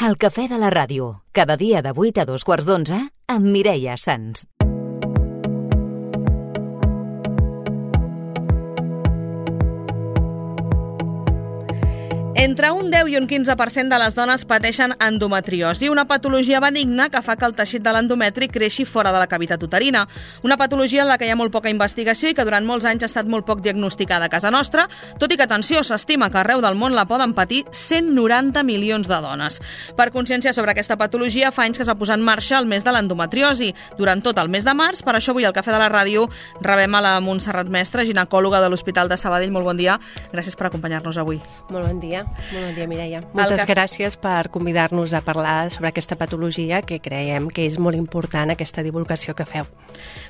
El cafè de la ràdio, cada dia de 8 a 2:15 amb Mireia Sans. Entre un 10 i un 15% de les dones pateixen endometriosi, una patologia benigna que fa que el teixit de l'endometri creixi fora de la cavitat uterina. Una patologia en la que hi ha molt poca investigació i que durant molts anys ha estat molt poc diagnosticada a casa nostra, tot i que, atenció, s'estima que arreu del món la poden patir 190 milions de dones. Per consciència sobre aquesta patologia, fa anys que es va posar en marxa el mes de l'endometriosi. Durant tot el mes de març, per això avui al Cafè de la Ràdio rebem a la Montserrat Mestre, ginecòloga de l'Hospital de Sabadell. Molt bon dia. Gràcies per acompanyar-nos avui. Molt bon dia. Molt bon dia, Mireia. Moltes gràcies per convidar-nos a parlar sobre aquesta patologia que creiem que és molt important, aquesta divulgació que feu.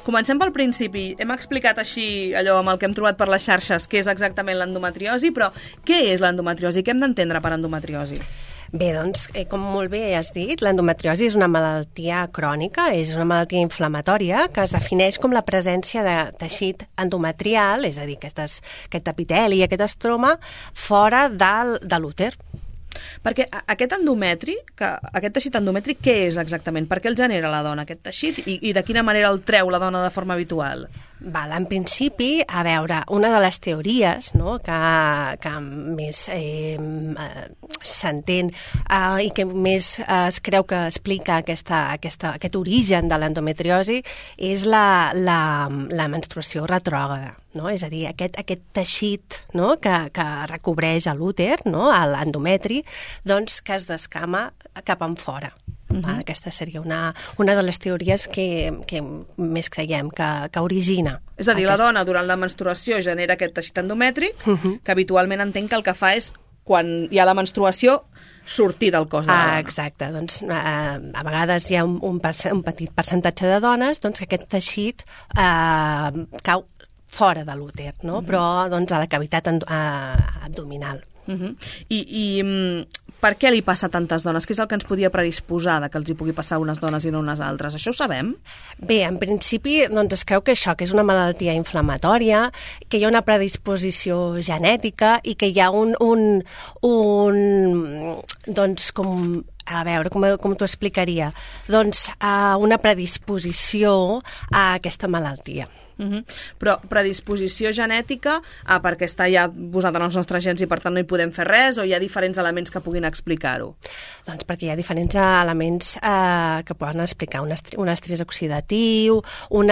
Comencem pel principi. Hem explicat així allò amb el que hem trobat per les xarxes què és exactament l'endometriosi, però què és l'endometriosi? Què hem d'entendre per endometriosi? Bé, doncs, com molt bé has dit, l'endometriosi és una malaltia crònica, és una malaltia inflamatòria que es defineix com la presència de teixit endometrial, és a dir, aquest epiteli i aquest estroma, fora de l'úter. Perquè aquest endometri, aquest teixit endomètric, què és exactament? Per què el genera la dona, aquest teixit? I de quina manera el treu la dona de forma habitual? En principi, a veure, una de les teories, no, que més s'entén i que més es creu que explica aquest origen de l'endometriosi és la menstruació retrògrada, no? És a dir, aquest teixit, no, que recobreix l'úter, no, l'endometri, doncs que es descama cap enfora. Aquesta seria una de les teories que més creiem que origina. És a dir, la dona durant la menstruació genera aquest teixit endomètric, que habitualment entenc que el que fa és, quan hi ha la menstruació, sortir del cos de la dona. Exacte. Doncs, a vegades hi ha un petit percentatge de dones doncs, que aquest teixit cau fora de l'úter, no? Però doncs, a la cavitat abdominal. I per què li passa a tantes dones? Què és el que ens podia predisposar que els hi pugui passar a unes dones i no a unes altres? Això ho sabem? Bé, en principi doncs es creu que això, que és una malaltia inflamatòria, que hi ha una predisposició genètica i que hi ha doncs com... A veure, com t'ho explicaria? Doncs una predisposició a aquesta malaltia. Però predisposició genètica perquè està ja posat en els nostres gens i per tant no hi podem fer res, o hi ha diferents elements que puguin explicar-ho? Doncs perquè hi ha diferents elements que poden explicar un estrès oxidatiu, un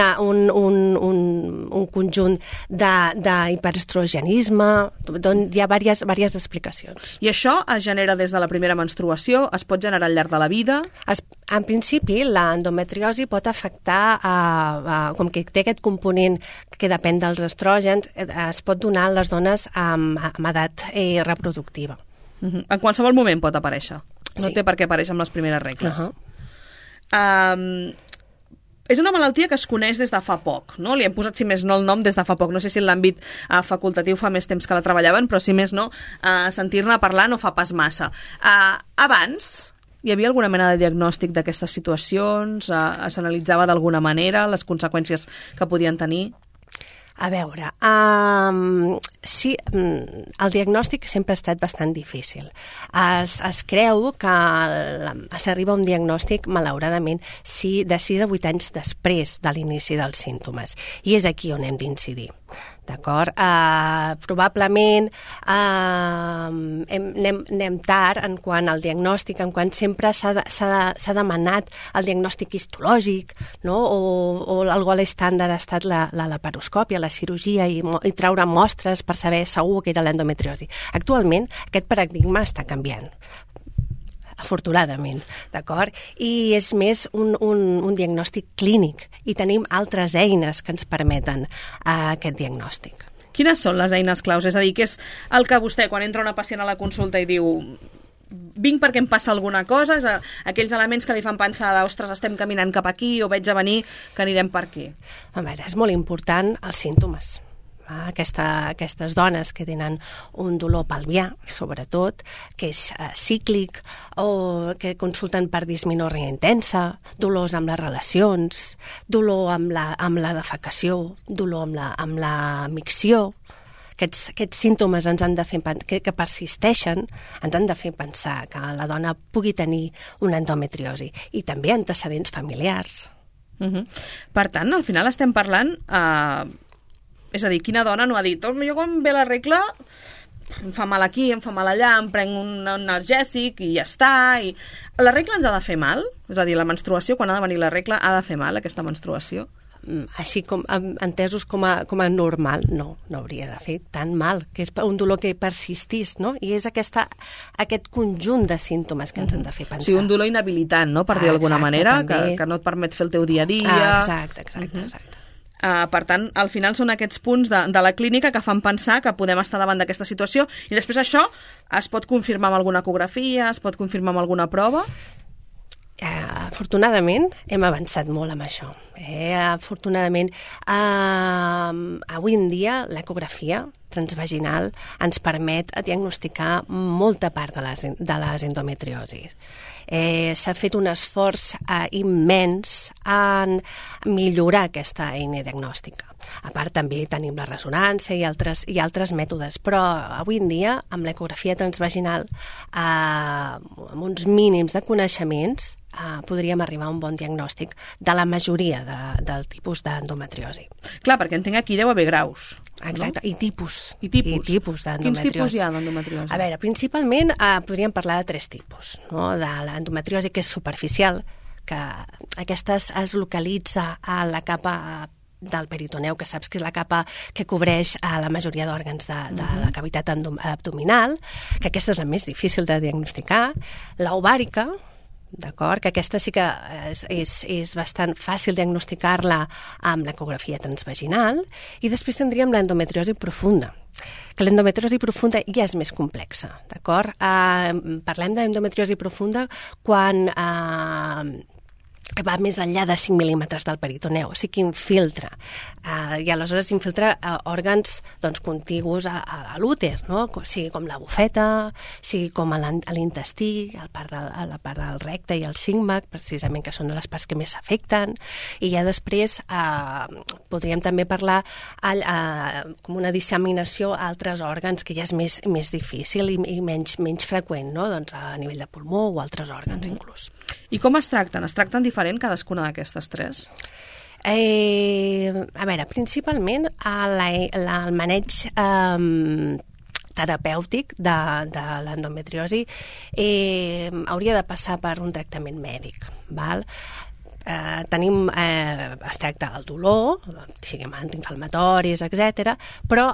conjunt d'hiperestrogenisme, doncs hi ha diverses explicacions. I això es genera des de la primera menstruació? Es pot generar al llarg de la vida? En principi, l'endometriosi pot afectar, com que té aquest component que depèn dels estrògens, es pot donar a les dones amb edat reproductiva. En qualsevol moment pot aparèixer? No té per què aparèixer amb les primeres regles? És una malaltia que es coneix des de fa poc, no? Li hem posat, si més no, el nom des de fa poc. No sé si en l'àmbit facultatiu fa més temps que la treballaven, però si més no, sentir-ne parlar no fa pas massa. Abans hi havia alguna mena de diagnòstic d'aquestes situacions? S'analitzava d'alguna manera les conseqüències que podien tenir? A veure, sí, el diagnòstic sempre ha estat bastant difícil. Es creu que s'arriba a un diagnòstic, malauradament, de 6 a 8 anys després de l'inici dels símptomes. I és aquí on hem d'incidir. D'acord? Probablement anem tard en quant al diagnòstic, en quant sempre s'ha demanat el diagnòstic histològic, no? O el gol estàndard ha estat la laparoscòpia, la cirurgia i treure mostres per saber segur que era l'endometriosi. Actualment aquest paradigma està canviant, afortunadament, d'acord? I és més un diagnòstic clínic i tenim altres eines que ens permeten aquest diagnòstic. Quines són les eines claus? És a dir, què és el que vostè, quan entra una pacient a la consulta i diu vinc perquè em passa alguna cosa, és aquells elements que li fan pensar ostres, estem caminant cap aquí o veig a venir que anirem per aquí? A veure, és molt important els símptomes. Aquestes dones que tenen un dolor pelvià, sobretot, que és cíclic, o que consulten per dismenòrria intensa, dolors amb les relacions, dolor amb la defecació, dolor amb la micció, aquests símptomes ens han de fer que persisteixen, ens han de fer pensar que la dona pugui tenir una endometriosi i també antecedents familiars. Per tant, al final estem parlant... és a dir, quina dona no ha dit jo quan ve la regla em fa mal aquí, em fa mal allà, em prenc un analgèsic i ja està. La regla ens ha de fer mal? És a dir, la menstruació, quan ha de venir la regla, ha de fer mal, aquesta menstruació? Així com entesos com a normal, no hauria de fer tan mal, que és un dolor que persistís, no? I és aquest conjunt de símptomes que ens han de fer pensar. Sí, un dolor inhabilitant, no?, per dir d'alguna manera, que no et permet fer el teu dia a dia. Exacte. Per tant, al final són aquests punts de la clínica que fan pensar que podem estar davant d'aquesta situació i després això es pot confirmar amb alguna ecografia, es pot confirmar amb alguna prova? Afortunadament hem avançat molt amb això. Afortunadament, avui en dia l'ecografia transvaginal ens permet diagnosticar molta part de les endometriosis. S'ha fet un esforç immens en millorar aquesta eina diagnòstica. A part, també tenim la ressonància i altres mètodes, però avui en dia, amb l'ecografia transvaginal, amb uns mínims de coneixements, podríem arribar a un bon diagnòstic de la majoria del tipus d'endometriosi. Clar, perquè entenc aquí deu haver graus. Exacte, no? I tipus d'endometriosi. Quins tipus hi ha d'endometriosi? A veure, principalment podríem parlar de 3 tipus, no? De l'endometriosi que és superficial, que aquesta es localitza a la capa del peritoneu, que saps que és la capa que cobreix la majoria d'òrgans de la cavitat abdominal, que aquesta és la més difícil de diagnosticar. L'ovàrica, d'acord, que aquesta sí que és bastant fàcil diagnosticar-la amb l'ecografia transvaginal, i després tindríem l'endometriosi profunda, que l'endometriosi profunda ja és més complexa, d'acord? Parlem d'endometriosi profunda quan va més enllà de 5 mil·límetres del peritoneu, o sigui que infiltra, i aleshores infiltra òrgans contigus a l'úter, no? Sigui com la bufeta, sigui com a l'intestí, a la part del recte i el sígmac, precisament, que són les parts que més s'afecten, i ja després podríem també parlar com una disseminació a altres òrgans, que ja és més difícil i menys freqüent, no? Doncs a nivell de pulmó o altres òrgans, inclús. I com es tracten? Es tracten diferent cadascuna d'aquestes 3? A veure, principalment el maneig terapèutic de l'endometriosi hauria de passar per un tractament mèdic, val? Es tracta el dolor, siguem antiinflamatoris, etc. Però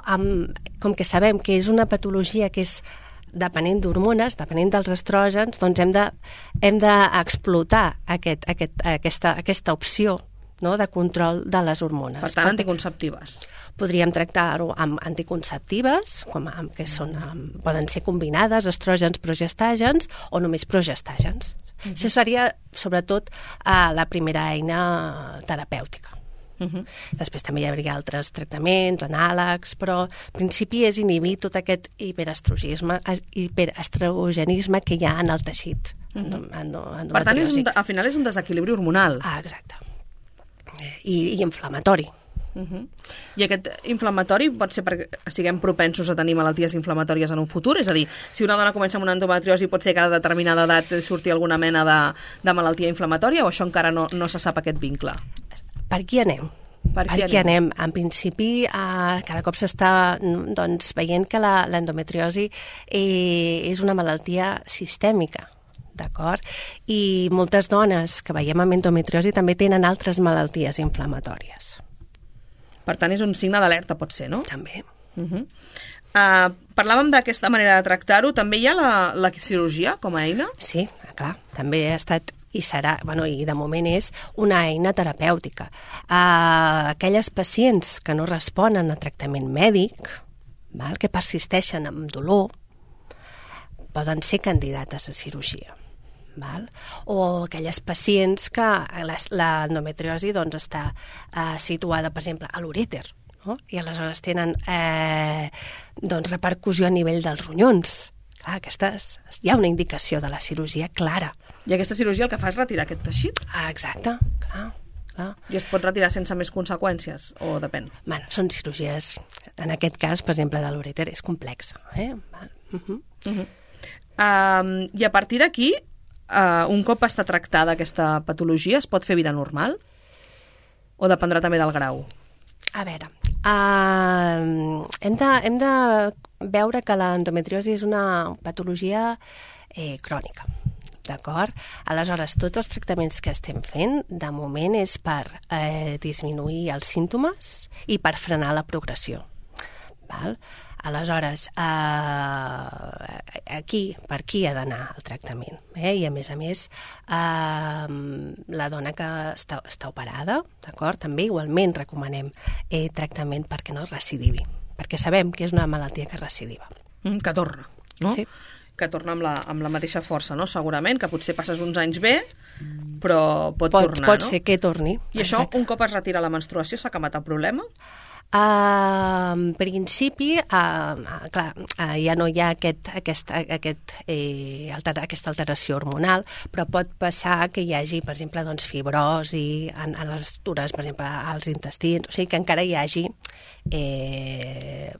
com que sabem que és una patologia que és depenent d'hormones, depenent dels estrògens, doncs hem d'explotar aquesta opció, no?, de control de les hormones. Per tant, anticonceptives. Podríem tractar-ho amb anticonceptives, poden ser combinades, estrògens, progestàgens o només progestàgens. Això seria, sobretot, la primera eina terapèutica. Després també hi hauria altres tractaments, anàlegs, però en principi és inhibir tot aquest hiperestrogenisme que hi ha en el teixit endometriòsic. Per tant, al final és un desequilibri hormonal. Exacte. I inflamatori. I aquest inflamatori pot ser perquè siguem propensos a tenir malalties inflamatòries en un futur? És a dir, si una dona comença amb una endometriosi pot ser que a determinada edat surti alguna mena de malaltia inflamatòria, o això encara no se sap aquest vincle? Per aquí anem. Per aquí anem. En principi, cada cop s'està veient que l'endometriosi és una malaltia sistèmica, d'acord? I moltes dones que veiem amb endometriosi també tenen altres malalties inflamatòries. Per tant, és un signe d'alerta, pot ser, no? També. Parlàvem d'aquesta manera de tractar-ho. També hi ha la cirurgia com a eina? Sí, clar. També ha estat i serà, i de moment és una eina terapèutica. Aquelles pacients que no responen a tractament mèdic, que persisteixen amb dolor, poden ser candidates a cirurgia. O aquelles pacients que l'endometriosi està situada, per exemple, a l'urèter, i aleshores tenen repercussió a nivell dels ronyons. Clar, hi ha una indicació de la cirurgia clara. I aquesta cirurgia el que fa és retirar aquest teixit? Exacte, clar. clar. I es pot retirar sense més conseqüències, o depèn? Bueno, són cirurgies, en aquest cas, per exemple, de l'urèter, és complex. I a partir d'aquí, un cop està tractada aquesta patologia, es pot fer vida normal? O dependrà també del grau? A veure, hem de veure que l'endometriosi és una patologia crònica, d'acord? Aleshores, tots els tractaments que estem fent, de moment, és per disminuir els símptomes i per frenar la progressió. Val? Aleshores, per aquí ha d'anar el tractament. I, a més, la dona que està operada, d'acord? També igualment recomanem tractament perquè no recidivi, perquè sabem que és una malaltia que recidiva. Que torna, no? Sí. Que torna amb la mateixa força, no? Segurament, que potser passes uns anys bé, però pot tornar, no? Pot ser que torni. I això, un cop es retira la menstruació, s'ha acabat el problema? En principi, clar, ja no hi ha aquesta alteració hormonal, però pot passar que hi hagi, per exemple, doncs, fibrosi en les estructures, per exemple, als intestins, o sigui que encara hi hagi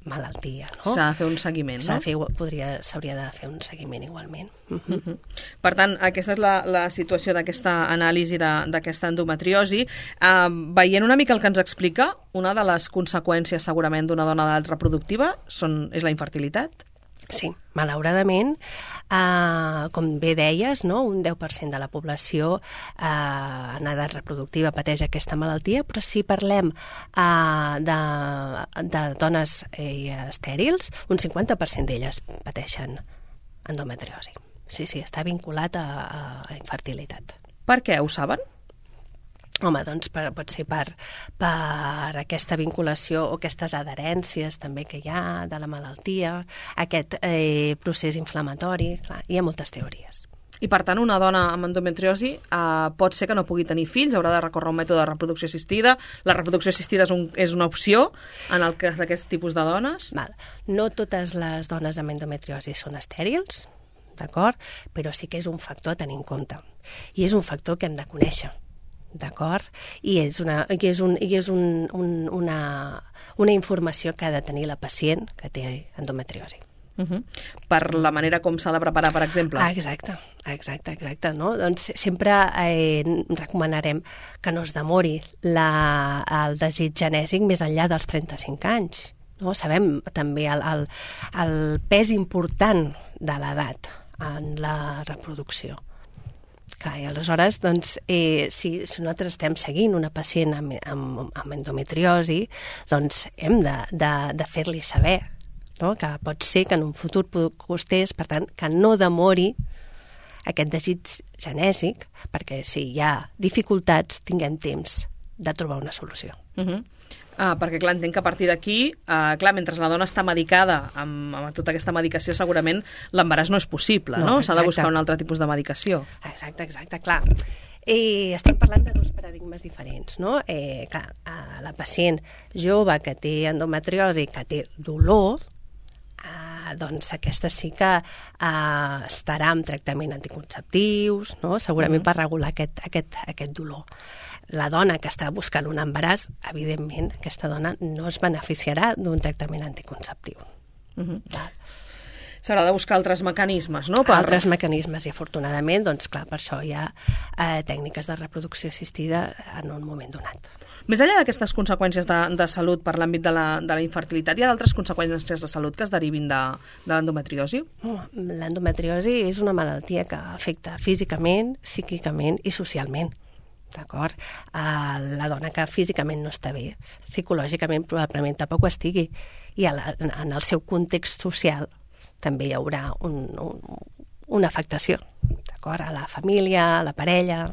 malaltia, no? S'ha de fer un seguiment, no? S'hauria de fer un seguiment igualment. Per tant, aquesta és la situació d'aquesta anàlisi d'aquesta endometriosi. Veient una mica el que ens explica, una de les conseqüències segurament d'una dona d'edat reproductiva és la infertilitat? Sí, malauradament, com bé deies, no? Un 10% de la població en edat reproductiva pateix aquesta malaltia, però si parlem de dones estèrils, un 50% d'elles pateixen endometriosi. Sí, està vinculat a infertilitat. Per què? Ho saben? Home, doncs pot ser per aquesta vinculació o aquestes adherències també que hi ha de la malaltia, aquest procés inflamatori, clar, hi ha moltes teories. I per tant, una dona amb endometriosi pot ser que no pugui tenir fills, haurà de recórrer a un mètode de reproducció assistida. La reproducció assistida és una opció en el cas d'aquest tipus de dones? Val. No totes les dones amb endometriosi són estèrils, d'acord? Però sí que és un factor a tenir en compte. I és un factor que hem de conèixer, d'acord? I és una informació que ha de tenir la pacient que té endometriosi. Per la manera com s'ha de preparar, per exemple. Exacte. No? Doncs sempre recomanarem que no es demori el desig genèsic més enllà dels 35 anys. No? Sabem també el pes important de l'edat en la reproducció. Clar, i aleshores, doncs, si nosaltres estem seguint una pacient amb endometriosi, doncs hem de fer-li saber, no? Que pot ser que en un futur costés, per tant, que no demori aquest desig genèsic, perquè si hi ha dificultats tinguem temps de trobar una solució. Perquè, clar, entenc que a partir d'aquí, mentre la dona està medicada amb tota aquesta medicació, segurament l'embaràs no és possible, no? S'ha de buscar un altre tipus de medicació. Exacte, clar. Estem parlant de dos paradigmes diferents, no? Clar, la pacient jove que té endometriosi, que té dolor, doncs aquesta sí que estarà amb tractament anticonceptius, no? Segurament per regular aquest dolor. La dona que està buscant un embaràs, evidentment, aquesta dona no es beneficiarà d'un tractament anticonceptiu. S'haurà de buscar altres mecanismes, no? Altres mecanismes, i afortunadament, doncs clar, per això hi ha tècniques de reproducció assistida en un moment donat. Més enllà d'aquestes conseqüències de salut per l'àmbit de la infertilitat, hi ha d'altres conseqüències de salut que es derivin de l'endometriosi? L'endometriosi és una malaltia que afecta físicament, psíquicament i socialment. D'acord? La dona que físicament no està bé, psicològicament probablement tampoc ho estigui, i en el seu context social també hi haurà una afectació, d'acord? A la família, a la parella.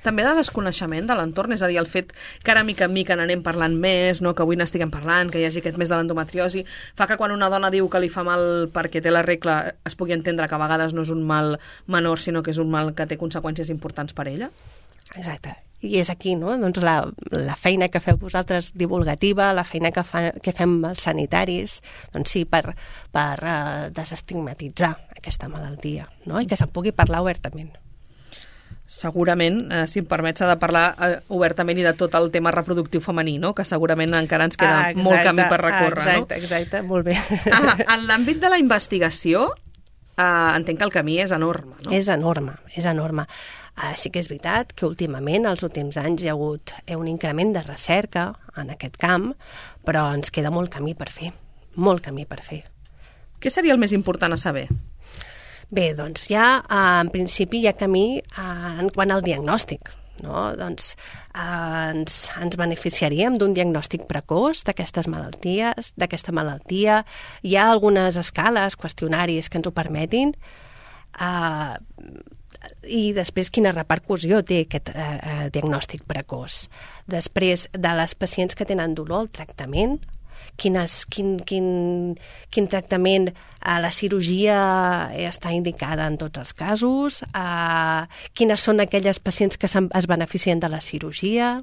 També de desconeixement de l'entorn, és a dir, el fet que ara mica en mica n'anem parlant més, no? Que avui n'estiguem parlant, que hi hagi aquest mes de l'endometriosi, fa que quan una dona diu que li fa mal perquè té la regla es pugui entendre que a vegades no és un mal menor, sinó que és un mal que té conseqüències importants per ella? Exacte. I és aquí, no? Doncs la feina que feu vosaltres divulgativa, la feina que fem els sanitaris, doncs sí, per desestigmatitzar aquesta malaltia, no? I que se'n pugui parlar obertament. segurament, si em permet, s'ha de parlar obertament i de tot el tema reproductiu femení, no? Que segurament encara ens queda molt camí per recórrer. Exacte, molt bé. En l'àmbit de la investigació, entenc que el camí és enorme, no? És enorme. Sí que és veritat que últimament, els últims anys, hi ha hagut un increment de recerca en aquest camp, però ens queda molt camí per fer. Què seria el més important a saber? Bé, doncs en principi hi ha camí en quant al diagnòstic, no? Doncs ens beneficiaríem d'un diagnòstic precoç d'aquesta malaltia. Hi ha algunes escales, qüestionaris que ens ho permetin, i després quina repercussió té aquest diagnòstic precoç. Després, de les pacients que tenen dolor, el tractament, quin tractament, la cirurgia està indicada en tots els casos, quines són aquelles pacients que es beneficien de la cirurgia.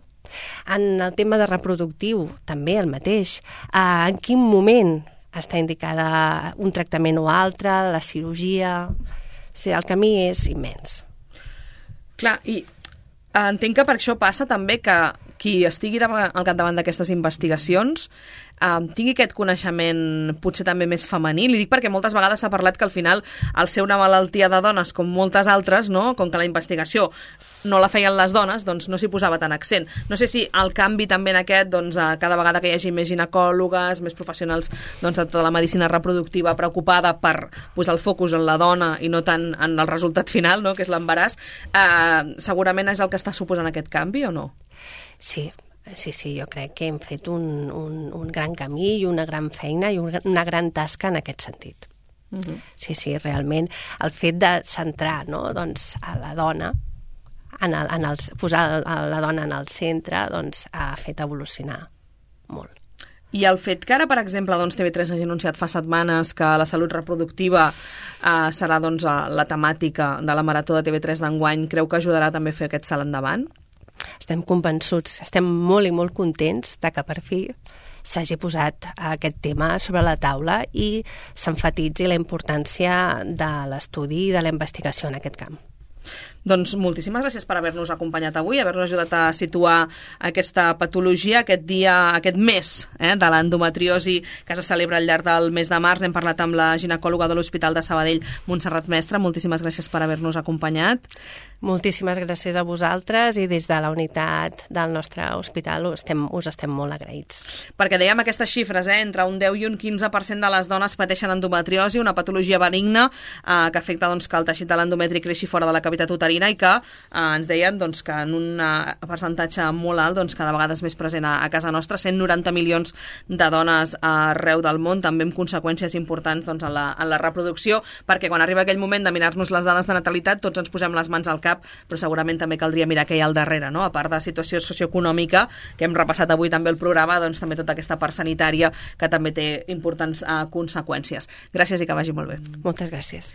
En el tema de reproductiu, també el mateix. En quin moment està indicada un tractament o altre, la cirurgia. Sí, el camí és immens. Clar, i entenc que per això passa també que qui estigui al capdavant d'aquestes investigacions tingui aquest coneixement potser també més femení. Li dic perquè moltes vegades s'ha parlat que al final, al ser una malaltia de dones com moltes altres, no? Com que la investigació no la feien les dones, doncs no s'hi posava tant accent. No sé si el canvi també en aquest, doncs, cada vegada que hi hagi més ginecòlogues, més professionals de tota la medicina reproductiva preocupada per posar el focus en la dona i no tant en el resultat final, no? Que és l'embaràs, segurament és el que està suposant aquest canvi o no? Sí, jo crec que hem fet un gran camí i una gran feina i una gran tasca en aquest sentit. Sí, realment el fet de centrar, no, doncs, a la dona, posar la dona en el centre, doncs, ha fet evolucionar molt. I el fet que ara, per exemple, doncs, TV3 hagi anunciat fa setmanes que la salut reproductiva serà doncs, la temàtica de la Marató de TV3 d'enguany, creu que ajudarà també a fer aquest salt endavant? Estem convençuts, estem molt i molt contents de que per fi s'hagi posat aquest tema sobre la taula i s'enfatitzi la importància de l'estudi i de la investigació en aquest camp. Doncs moltíssimes gràcies per haver-nos acompanyat avui, haver-nos ajudat a situar aquesta patologia, aquest mes de l'endometriosi que se celebra al llarg del mes de març. Hem parlat amb la ginecòloga de l'Hospital de Sabadell, Montserrat Mestre. Moltíssimes gràcies per haver-nos acompanyat. Moltíssimes gràcies a vosaltres i des de la unitat del nostre hospital us estem molt agraïts. Perquè dèiem aquestes xifres, entre un 10 i un 15% de les dones pateixen endometriosi, una patologia benigna que afecta doncs, que el teixit de l'endometri creixi fora de la cavitat uterina i que ens deien doncs, que en un percentatge molt alt doncs, cada vegada és més present a casa nostra, 190 milions de dones arreu del món, també amb conseqüències importants doncs, en la reproducció, perquè quan arriba aquell moment de mirar-nos les dades de natalitat tots ens posem les mans al cap, però segurament també caldria mirar què hi ha al darrere, no? A part de situació socioeconòmica, que hem repassat avui també el programa, doncs també tota aquesta part sanitària que també té importants conseqüències. Gràcies i que vagi molt bé. Moltes gràcies.